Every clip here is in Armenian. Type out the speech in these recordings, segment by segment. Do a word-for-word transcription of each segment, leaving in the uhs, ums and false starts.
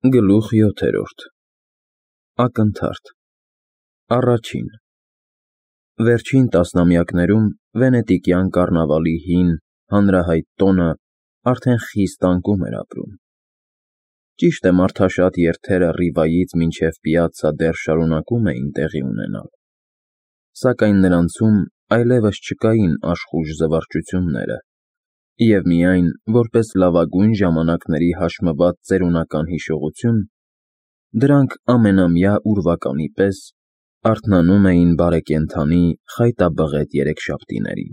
Գլուխ յոթերորդ Ակնթարթ Առաջին Վերջին տասնամյակներում վենետիկյան կառնավալի հին, հանրահայտ տոնը արդեն խիստ անկում էր ապրում։ Ճիշտ է, մարդաշատ երթերը Ռիվայից մինչև Պիացցա դեռ շարունակում էին տեղի ունենալ, սակայն նրանցում այլևս չկային աշխույժ զվարճությունները, և միայն, որպես լավագույն ժամանակների հաշմված ծերունական հիշողություն, դրանք ամենամյա ուրվականի պես արթնանում էին բարեկենդանի խայտաբղետ երեքշաբթիներին։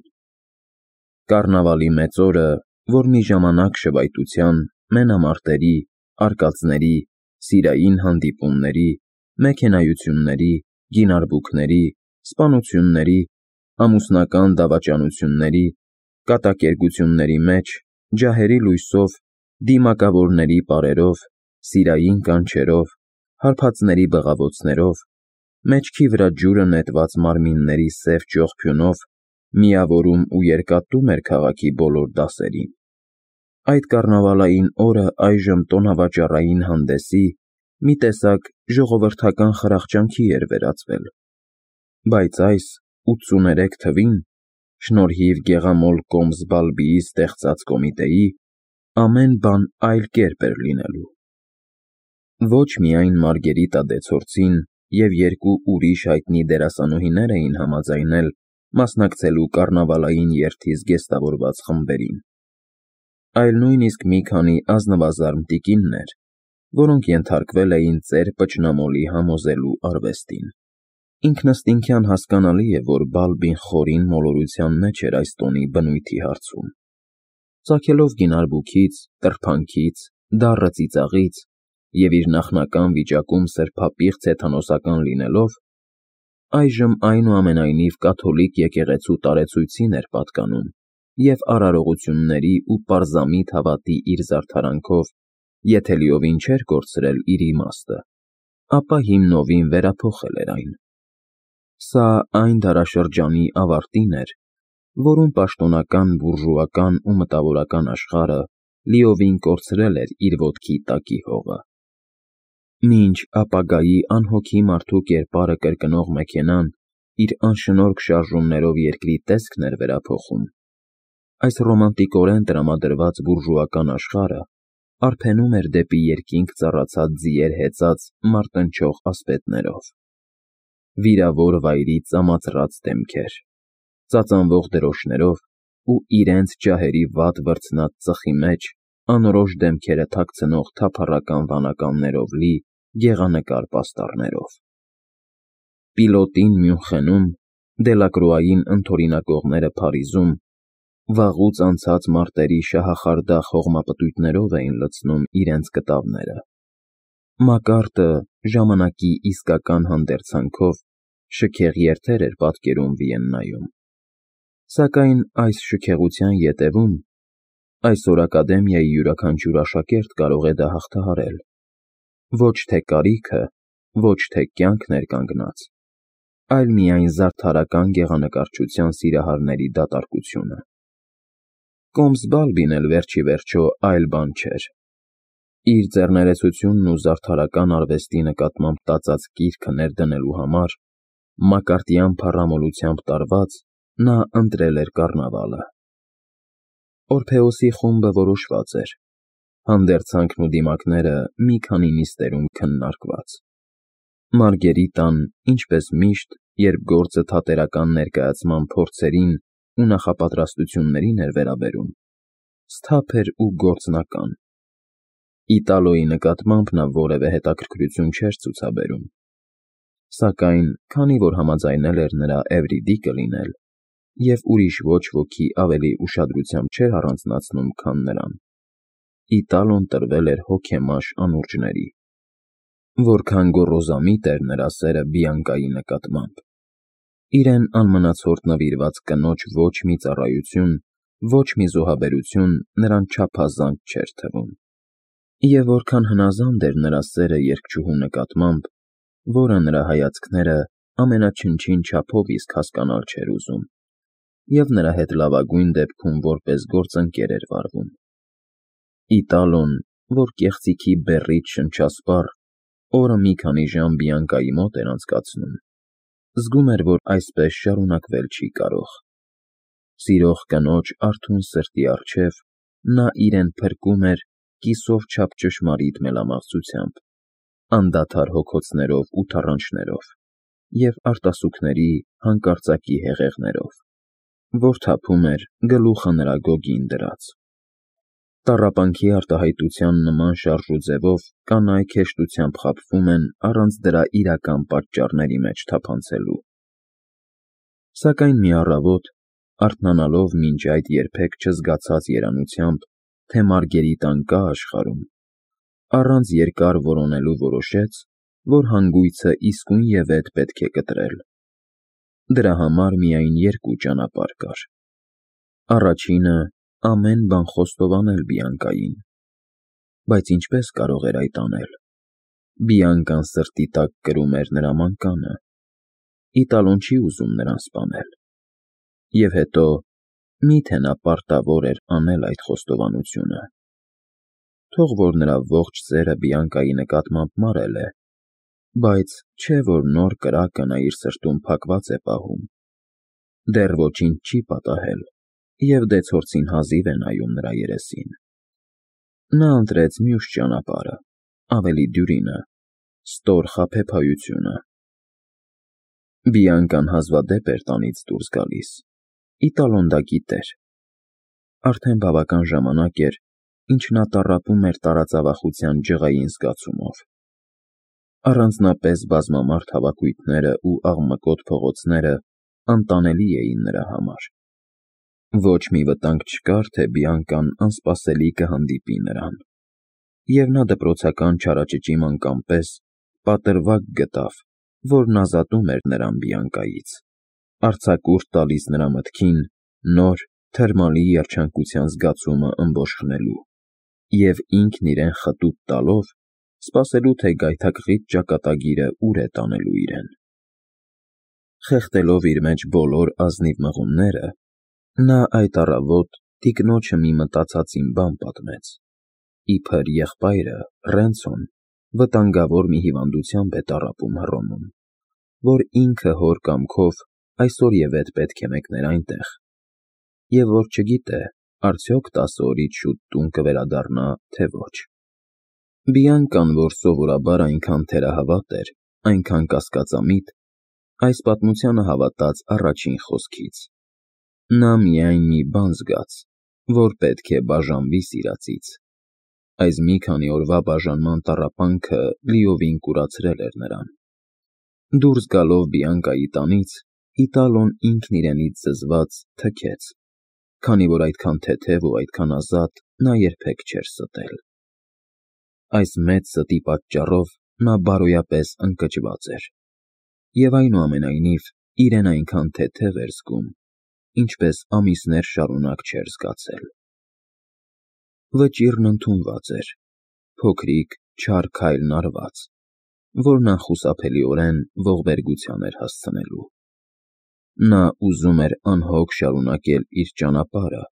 Կառնավալի մեծ օրը, որ մի ժամանակ շվայտության, մենամարտերի, արկածների, սիրային հանդիպումների, մեքենայությունների, գինարբուքների, սպանությունների, ամուսնական դավաճանությունների, կատակերգությունների մեջ, ջահերի լույսով, դիմակավորների պարերով, սիրային կանչերով, հարբածների բղավոցներով, մեջքի վրա ջուրը նետված մարմինների սև ճողփյունով միավորում ու երկաթում էր քաղաքի բոլոր դասերին։ Այդ կառնավալային օրը այժմ տոնավաճառային հանդեսի, մի տեսակ ժողովրդական խրախճանքի էր վերածվել, բայց այս ութսուներեք թվին, շնորհիվ գեղամոլ Կոմսբալբիի ստեղծած կոմիտեի, ամեն բան այլ կերպ էր լինելու։ Ոչ միայն Մարգերիտա դեցորցին և երկու ուրիշ հայտնի դերասանուհիներ էին համաձայնել մասնակցելու կառնավալային երթի զգեստավորված խմբերին, այլ նույնիսկ մի քանի ազնվազարմ տիկիններ, որոնք ենթարկվել էին ծեր Պճնամոլի համոզելու արվեստին։ Ինքնըստինքյան հասկանալի է, որ Բալբին խորին մոլորության մեջ էր այս տոնի բնույթի հարցում։ Ծագելով գինարբուքից, տրփանքից, դառը ծիծաղից և իր նախնական վիճակում սրբապիղծ հեթանոսական լինելով, այժմ այնուամենայնիվ կաթոլիկ եկեղեցու տարեցույցին էր պատկանում և արարողությունների ու պարզամիտ հավատի իր զարդարանքով, եթե լիովին չէր կորցրել իր իմաստը, ապա հիմնովին վերափոխել էր այն։ Սա այն դարաշրջանի ավարտին էր, որում պաշտոնական բուրժուական ու մտավորական աշխարհը լիովին կորցրել էր իր ոտքի տակի հողը։ Մինչ ապագայի անհոգի մարդու կերպարը կրկնող մեքենան իր անշնորհք շարժումներով երկրի տեսքն էր վերափոխում, այս ռոմանտիկորեն տրամադրված բուրժուական աշխարհը արբենում էր դեպի երկինք ծառացած ձիեր հեծած մարտնչող ասպետներով։ Վիրավոր վայրի ծամածռած դեմքեր, ծածանվող դրոշներով ու իրենց ջահերի վատ վրձնած ծխի մեջ անորոշ դեմքերը թաքցնող թափառական վանականներով լի գեղանկար պաստառներով։ Պիլոտին Մյունխենում, Դելակրուային ընդօրինակողները Փարիզում վաղուց անցած մարտերի շահախարդախ հողմապտույտներով էին լցնում իրենց կտավները։ Մակարդը ժամանակի իսկական հանդերձանքով շքեղ երթեր էր պատկերում Վիեննայում, սակայն այս շքեղության ետևում այսօր ակադեմիայի յուրաքանչյուր աշակերտ կարող է դա հաղթահարել։ Ոչ թե կարիքը, ոչ թե կյանքն էր կանգնած, այլ միայն զարդարական գեղանկարչության սիրահարների դատարկությունը։ Կոմսբալբին էլ վերջիվերջո այլ բան չէր։ Իր ձեռներեցությունն ու զարդարական արվեստի նկատմամբ տածած կիրքը ներդնելու համար, մակարդյան փառամոլությամբ տարված, նա ընտրել էր կառնավալը։ Օրփեոսի խումբը որոշված էր, հանդերձանքն ու դիմակները մի քանի նիստերում քննարկված։ Մարգերիտան, ինչպես միշտ, երբ գործը թատերական ներկայացման փորձերին ու նախապատրաստություններին էր վերաբերում, սթափ էր ու գործնական։ Իտալոյի նկատմամբ նա որևէ հետաքրքրություն չէր ցուցաբերում, սակայն քանի որ համաձայնել էր նրա Էվրիդիկը լինել, և ուրիշ ոչ ոքի ավելի ուշադրությամբ չէր առանձնացնում, քան նրան, Իտալոն տրվել էր հոգեմաշ անուրջների։ Որքան գոռոզամիտ էր նրա սերը Բիանկայի նկատմամբ, իրեն անմնացորդ նվիրված կնոջ ոչ մի ծառայություն, ոչ մի զոհաբերություն նրան չափազանց չէր թվում։ Եվ որքան հնազանդ էր նրա սերը երգչուհու նկատմամբ, որը նրա հայացքները ամենաչնչին չափով իսկ հասկանալ չէր ուզում, և նրա հետ լավագույն դեպքում որպես գործընկեր էր վարվում։ Իտալոն, որ կեղծիքի բեռից շնչասպառ օրը մի քանի ժամ Բիանկայի մոտ էր անցկացնում, զգում էր, որ այսպես շարունակվել չի կարող։ Սիրող կնոջ արթուն սրտի առջև նա իրեն փրկում էր կիսով չափ ճշմարիտ մելամաղձությամբ, անդադար հոգոցներով ու թռանչներով և արտասուքների հանկարծակի հեղեղներով, որ թափում էր գլուխը նրա գոգին դրած։ Տառապանքի արտահայտության նման շարժուձևով կանայք հեշտությամբ խաբվում են առանց դրա իրական պատճառների մեջ թափանցելու։ Սակայն մի առավոտ, արթնանալով մինչ այդ երբեք չզգացած երանությամբ, թե Մարգերիտան կա աշխարհում, առանց երկար որոնելու որոշեց, որ հանգույցը իսկույնևեթ պետք է կտրել։ Դրա համար միայն երկու ճանապարհ կար։ Առաջինը ամեն բան խոստովանել Բիանկային, բայց ինչպես կարող էր այդ անել։ Բիանկան սրտի տակ կրում էր նրա մանկանը, Իտալոն չի ուզում նրան սպանել։ Եվ հետո, մի՞թե նա պարտավոր էր անել այդ խոստովանությունը։ Թող որ նրա ողջ սերը Բիանկայի նկատմամբ մարել է, բայց չէ որ նոր կրակը նա իր սրտում փակված է պահում։ Դեռ ոչինչ չի պատահել, և դեցորցին հազիվ է նայում նրա երեսին։ Նա ընտրեց մյուս ճանապարհը, ավելի դյուրինը, ստոր խաբեբայությունը։ Բիանկան հազվադեպ էր տանից դուրս գալիս, Իտալոն դա գիտեր։ Արդեն բավական ժամանակ էր, ինչ նա տառապում էր տարածավախության ջղային զգացումով։ Առանձնապես բազմամարդ հավաքույթները ու աղմկոտ փողոցները անտանելի էին նրա համար։ Ոչ մի վտանգ չկար, թե Բիանկան անսպասելի կհանդիպի նրան, և նա դպրոցական չարաճճի մանկան պես պատրվակ գտավ, որն ազատում էր նրան Բիանկայից, արձակուրդ տալիս նրա մտքին նոր, թրմալի երջանկության զգացումը ըմբոշխնելու և ինքն իրեն խտուտ տալով սպասելու, թե գայթակղիչ ճակատագիրը ուր է տանելու իրեն։ Խեղդելով իր մեջ բոլոր ազնիվ մղումները, նա այդ առավոտ տիկնոջը մի մտածածին բան պատմեց։ Իբր եղբայրը, Ռենցոն, վտանգավոր մի հիվանդությամբ է տառապում Հռոմում, որ ինքը հոր կամքով այսօրևեթ պետք է մեկներ այնտեղ, և որ չգիտե, արդյոք տասը օրից շուտ տուն կվերադառնա, թե ոչ։ Բիանկան, որ սովորաբար այնքան թերահավատ էր, այնքան կասկածամիտ, այս պատմությանը հավատաց առաջին խոսքից։ Նա միայն մի բան զգաց, որ պետք է բաժանվի սիրածից։ Այս մի քանի օրվա բաժանման տառապանքը լիովին կուրացրել էր նրան։ Դուրս գալով Բիանկայի տանից, Իտալոն ինքն իրենից զզված թքեց, քանի որ այդքան թեթև ու այդքան ազատ նա երբեք չէր ստել։ Այս մեծ ստի պատճառով նա բարոյապես ընկճված էր, և այնուամենայնիվ իրեն այնքան թեթև էր զգում, ինչպես ամիսներ շարունակ չէր զգացել։ Վճիռն ընդունված էր, փոքրիկ, չար քայլն արված, որն անխուսափելիորեն ողբերգության էր հասցնելու։ Նա ուզում էր անհոգ շարունակել իր ճանապարհը,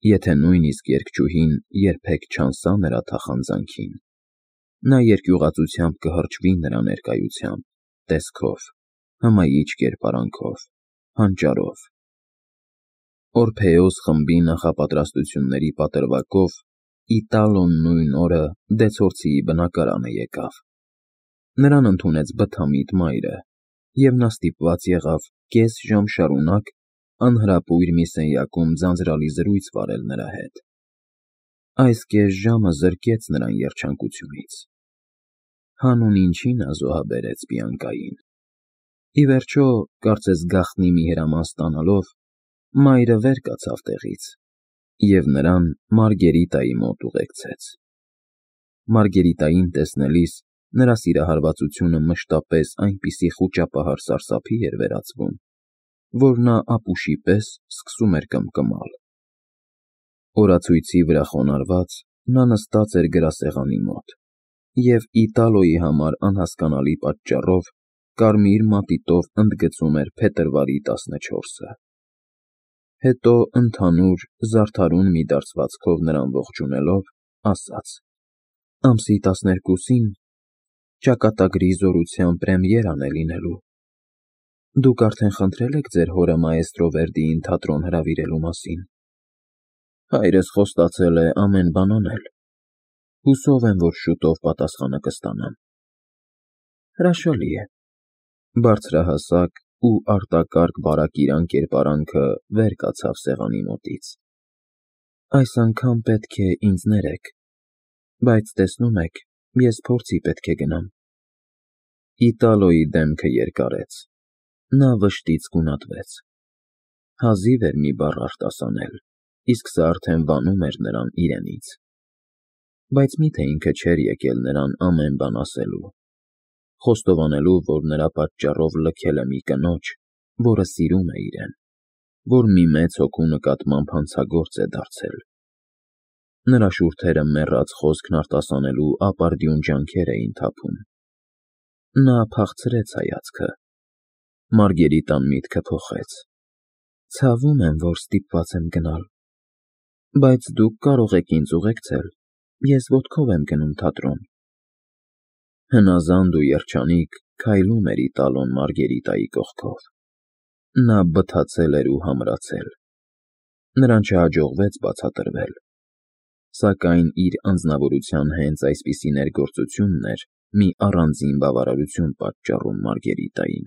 եթե նույնիսկ երգչուհին երբեք չանսա նրա թախանձանքին։ Նա երկյուղածությամբ կհրճվի նրա ներկայությամբ, տեսքով, հմայիչ կերպարանքով, հանճարով։ Օրփեոս խմբի նախապատրաստությունների պատրվակով Իտալոն նույն օրը դեցորցիի բնակարանը եկավ։ Նրան ընդունեց բթամիտ մայրը, և նա ստիպված եղավ կես ժամ շարունակ անհրապույր մի սենյակում ձանձրալի զրույց վարել նրա հետ։ Այս կես ժամը զրկեց նրան երջանկությունից։ Հանուն ինչի նա զոհաբերեց Բիանկային։ Ի վերջո, կարծես գաղտնի մի հրաման ստանալով, մայրը վեր կացավ տեղից և նրան Մարգերիտայի մոտ ուղեկցեց։ Մարգերիտային տեսնելիս նրա սիրահարվածությունը մշտապես այնպիսի խուճապահար սարսափի էր վերածվում, որ նա ապուշի պես սկսում էր կմկմալ։ Օրացույցի վրա խոնարհված, նա նստած էր գրասեղանի մոտ և Իտալոյի համար անհասկանալի պատճառով կարմիր մատիտով ընդգծում էր փետրվարի տասնչորսը։ Հետո ընդհանուր, զարդարուն մի դարձվածքով նրան ողջունելով, ասաց. Ամսի տասներկուսին ճակատագրի զորության պրեմիերան է լինելու։ Դուք արդեն խնդրել եք ձեր հորը մաեստրո Վերդիին թատրոն հրավիրելու մասին։ Հայրս խոստացել է ամեն բան անել։ Հուսով եմ, որ շուտով պատասխանը կստանամ։ Հրաշալի է։ Բարձրահասակ ու արտակարգ բարակիրան կերպարանքը վեր կացավ սեղանի մոտից։ Այս անգամ պետք է ինձ ներեք, բայց տեսնում եք, ես փորձի պետք է գնամ։ Իտալոյի դեմքը երկարեց։ Նա վշտից գունատվեց։ Հազիվ էր մի բառ արտասանել, իսկ սա արդեն վանում էր նրան իրենից։ Բայց միթե ինքը չէր եկել նրան ամեն բան ասելու, խոստովանելու, որ նրա պատճառով լքել է մի կնոջ, որը սիրում է իրեն, որ մի մեծ հոգու նկատմամբ հանցագործ է դարձել։ Նրա շուրթերը մեռած խոսքն արտասանելու ապարդյուն ջանքեր էին թափում։ Նա փախցրեց հայացքը։ Մարգերիտան միտքը փոխեց։ Ցավում եմ, որ ստիպված եմ գնալ, բայց դուք կարող եք ինձ ուղեկցել, ես ոտքով եմ գնում թատրոն։ Հնազանդ ու երջանիկ քայլում էր Իտալոն Մարգերիտայի կողքով։ Նա բթացել էր ու համրացել։ Նրան չհաջողվեց բացատրվել, սակայն իր անձնավորության հենց այսպիսի ներգործությունն էր մի առանձին բավարարություն պատճառում Մարգերիտային։